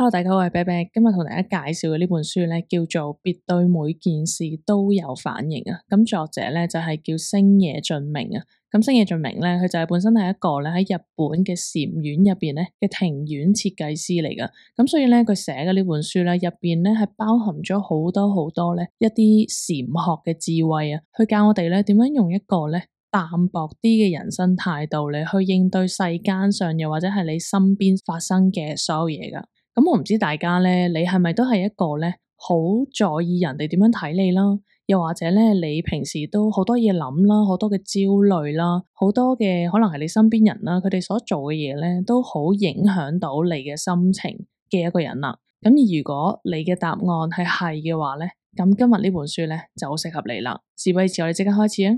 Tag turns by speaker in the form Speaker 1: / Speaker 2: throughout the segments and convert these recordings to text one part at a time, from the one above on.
Speaker 1: Hello，大家好，我係啤啤，今日同大家介紹嘅呢本書咧，叫做《別對每件事都有反應》啊。咁作者咧就係叫星野俊明啊。咁星野俊明咧，佢就係本身係一個咧喺日本嘅禪院入邊咧嘅庭院設計師嚟噶。咁所以咧，佢寫嘅呢本書咧入邊咧係包含咗好多咧一啲禪學嘅智慧啊，去教我哋咧點樣用一個咧淡薄啲嘅人生態度嚟去應對世間上又或者係你身邊發生嘅所有嘢噶。咁我唔知大家咧，你係咪都係一個咧好在意人哋點樣睇你啦？又或者咧，你平時都好多嘢諗啦，好多嘅焦慮啦，好多嘅可能係你身邊人啦，佢哋所做嘅嘢咧，都好影響到你嘅心情嘅一個人啦。咁而如果你嘅答案係嘅話咧，咁今日呢本書咧就好適合你啦。事不宜遲，我哋即刻開始啊！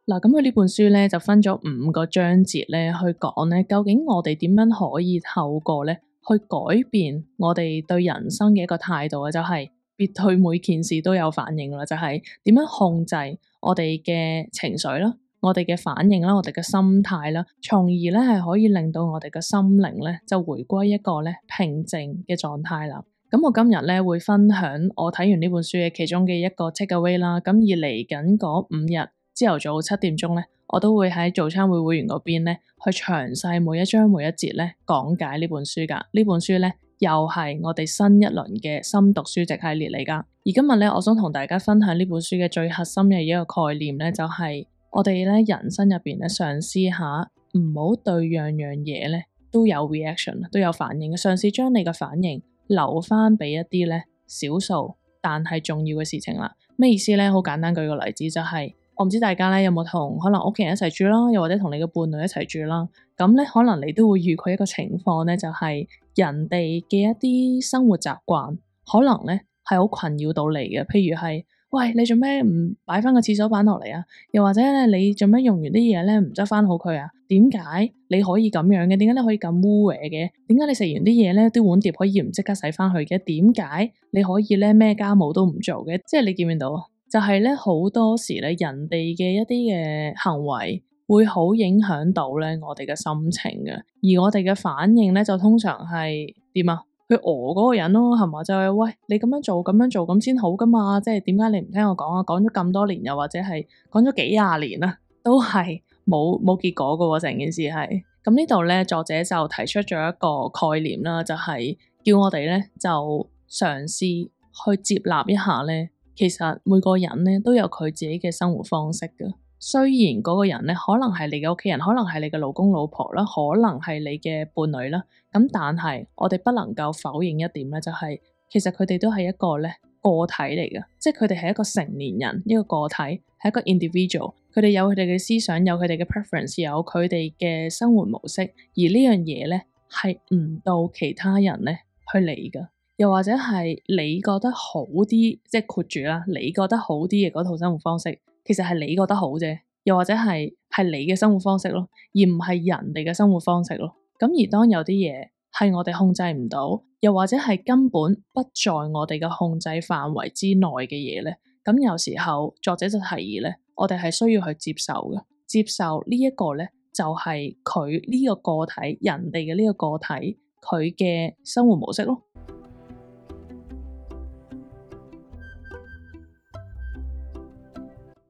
Speaker 1: 嗱，咁佢呢本書咧就分咗5個章節咧，去講咧究竟我哋點樣可以透過咧去改變我哋對人生嘅一個態度啊，就係別對每件事都有反應啦，就係點樣控制我哋嘅情緒啦，我哋嘅反應啦，我哋嘅心態啦，從而咧係可以令到我哋嘅心靈咧就回歸一個咧平靜嘅狀態啦。咁我今日咧會分享我睇完呢本書嘅其中嘅一個 take away 啦，咁而嚟緊嗰5日。朝頭早7點鐘咧，我都會喺早餐會員嗰邊咧，去詳細每一章每一節咧講解呢本書噶。呢本書咧又係我哋新一輪嘅深讀書籍系列嚟噶。而今日咧，我想同大家分享呢本書嘅最核心嘅一個概念咧，就係我哋咧人生入邊咧嘗試下唔好對樣樣嘢咧都有 reaction， 都有反應嘅，嘗試將你嘅反應留翻俾一啲咧少數但係重要嘅事情啦。咩意思咧？好簡單，舉個例子就係。我唔知大家咧有冇同可能屋企人一齊住啦，又或者同你嘅伴侶一齊住啦。咁咧可能你都會遇過一個情況咧，就係人哋嘅一啲生活習慣，可能咧係好困擾到你嘅。譬如係，喂，你做咩唔擺翻個廁所板落嚟啊？又或者咧你做咩用完啲嘢咧唔執翻好佢啊？點解你可以咁樣嘅？點解你可以咁污穢嘅？點解你食完啲嘢咧啲碗碟可以唔即刻洗翻去嘅？點解你可以咧咩家務都唔做嘅？即係你見唔見到啊？就係咧，好多時咧，人哋嘅一啲嘅行為會好影響到咧我哋嘅心情嘅，而我哋嘅反應咧就通常係點啊？去嗰個人咯，係嘛？就係喂，你咁樣做咁先好噶嘛？即係點解你唔聽我講啊？講咗咁多年，又或者係講咗幾廿年啦，都係冇結果噶喎，成件事係。咁呢度咧，作者就提出咗一個概念啦，就係叫我哋咧就嘗試去接納一下咧。其實每個人咧都有佢自己嘅生活方式㗎。雖然嗰個人咧可能係你嘅屋企人，可能係你嘅老公老婆啦，可能係你嘅伴侶啦。咁但係我哋不能夠否認一點咧，就係其實佢哋都係一個咧個體嚟嘅，即係佢哋係一個成年人，一個個體，係一個 individual。佢哋有佢哋嘅思想，有佢哋嘅 preference，有佢哋嘅生活模式。而呢樣嘢咧係唔到其他人咧去理㗎。又或者係你覺得好啲，即係括住啦，你覺得好啲嘅嗰套生活方式，其實係你覺得好啫。又或者係你嘅生活方式咯，而唔係人哋嘅生活方式咯。咁而當有啲嘢係我哋控制唔到，又或者係根本不在我哋嘅控制範圍之內嘅嘢咧，咁有時候作者就提議咧，我哋係需要去接受嘅，接受呢一個咧就係佢呢個個體，人哋嘅呢個個體佢嘅生活模式咯。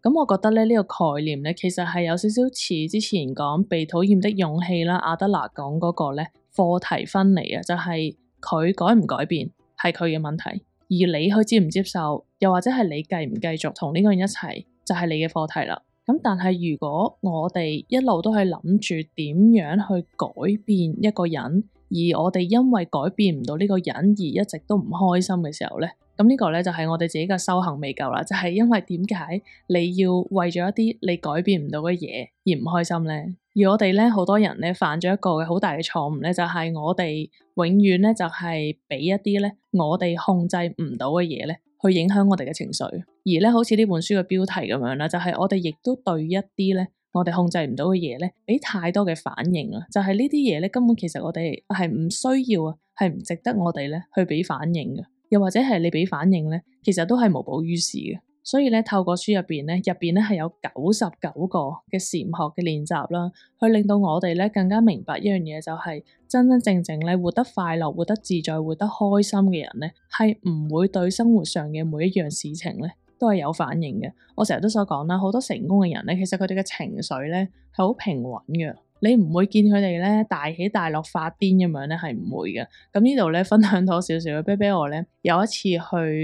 Speaker 1: 咁我覺得咧呢個概念咧，其實係有少少似之前講被討厭的勇氣啦，阿德勒講嗰個咧課題分離啊，就係佢改唔改變係佢嘅問題，而你去接唔接受，又或者係你繼唔繼續同呢個人一齊，就係你嘅課題啦。咁但係如果我哋一路都係諗住點樣去改變一個人，而我哋因為改變唔到呢個人而一直都唔開心嘅時候咧，咁呢個咧就係我哋自己嘅修行未夠啦，就係因為點解你要為咗一啲你改變唔到嘅嘢而唔開心咧？而我哋咧好多人咧犯咗一個好大嘅錯誤咧，就係我哋永遠咧就係俾一啲咧我哋控制唔到嘅嘢咧去影響我哋嘅情緒，而咧好似呢本書嘅標題咁樣啦，就係我哋亦都對一啲咧我哋控制唔到嘅嘢咧俾太多嘅反應啊，就係呢啲嘢咧根本其實我哋係唔需要啊，係唔值得我哋咧去俾反應嘅。又或者係你俾反應咧，其實都係無補於事嘅。所以咧，透過書入邊咧係有99個嘅禪學嘅練習啦，去令到我哋咧更加明白一樣嘢，就係真真正正咧活得快樂、活得自在、活得開心嘅人咧，係唔會對生活上嘅每一樣事情咧都係有反應嘅。我成日都所講啦，好多成功嘅人咧，其實佢哋嘅情緒咧係好平穩嘅。你唔會見佢哋咧大起大落發癲咁樣咧，係唔會嘅。咁呢度咧分享多少少，啤啤我咧有一次去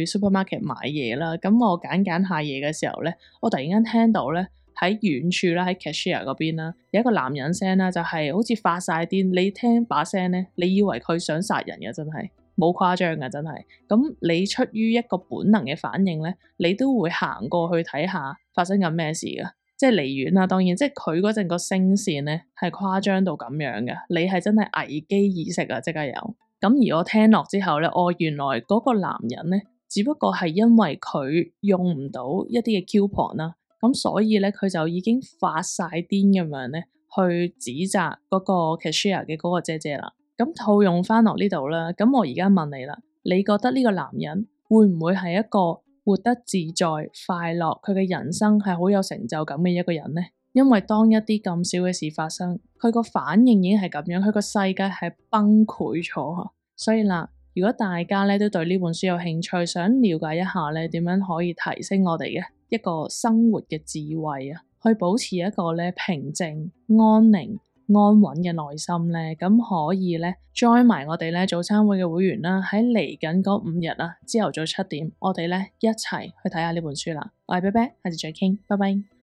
Speaker 1: supermarket 買嘢啦，咁我揀下嘢嘅時候咧，我突然間聽到咧喺遠處啦，喺 cashier 嗰邊啦，有一個男人聲啦，就係好似發晒癲，你聽把聲咧，你以為佢想殺人嘅，真係冇誇張嘅，真係。咁你出於一個本能嘅反應咧，你都會行過去睇下發生緊咩事㗎。即係離遠啦，當然，即係佢嗰陣個聲線咧係誇張到咁樣嘅，你係真係危機意識啊，即刻有。咁而我聽落之後咧，原來嗰個男人咧，只不過係因為佢用唔到一啲嘅 coupon 啦，咁所以咧佢就已經發晒癲咁樣咧，去指責嗰個 cashier 嘅嗰個姐姐啦。咁套用翻落呢度啦，咁我而家問你啦，你覺得呢個男人會唔會係一個活得自在、快樂，佢嘅人生係好有成就感嘅一個人呢？因為當一啲咁少嘅事發生，佢個反應已經係咁樣，佢個世界係崩潰咗。所以啦，如果大家咧都對呢本書有興趣，想了解一下咧點樣可以提升我哋嘅一個生活嘅智慧啊，去保持一個咧平靜、安寧、安穩嘅內心咧，咁可以咧 join 埋我哋咧早餐會嘅會員啦，喺嚟緊嗰5日啊，朝頭早7點，我哋咧一齊去睇下呢本書啦。我係啤啤，下次再傾，拜拜。